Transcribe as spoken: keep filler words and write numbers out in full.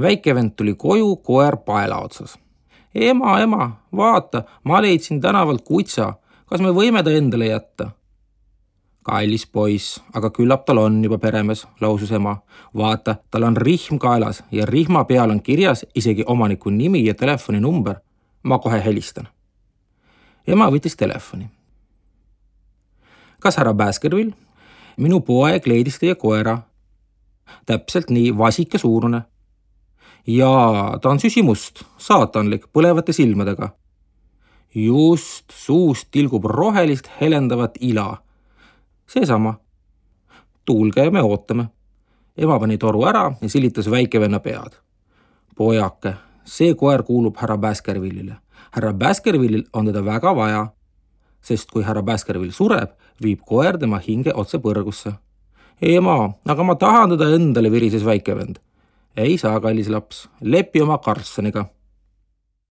Väikevend tuli koju, koer paela otsas. Ema, ema, vaata, ma leidsin tänavalt kutsa. Kas me võime ta endale jätta? Kallis poiss, aga küllap tal on juba peremees, lausus ema. Vaata, tal on rihm kaelas ja rihma peal on kirjas isegi omaniku nimi ja telefoninumber. Ma kohe helistan. Ema võttis telefoni. Kas härra Baskerville? Minu poeg leidis teie koera. Täpselt nii, vasike suurune. Jaa, ta on süsimust, saatanlik, põlevate silmadega. Just, suust tilgub rohelist helendavat ila. Seesama. Tuulge, me ootame. Ema pani toru ära ja silitas väikevenna pead. Pojake, see koer kuulub härra Baskerville'ile. Härra Baskerville'il on teda väga vaja, sest kui härra Baskerville sureb, viib koer tema hinge otse põrgusse. Ema, aga ma tahan teda endale, virises väikevend. Ei saa, kallis laps, lepi oma Karlssoniga.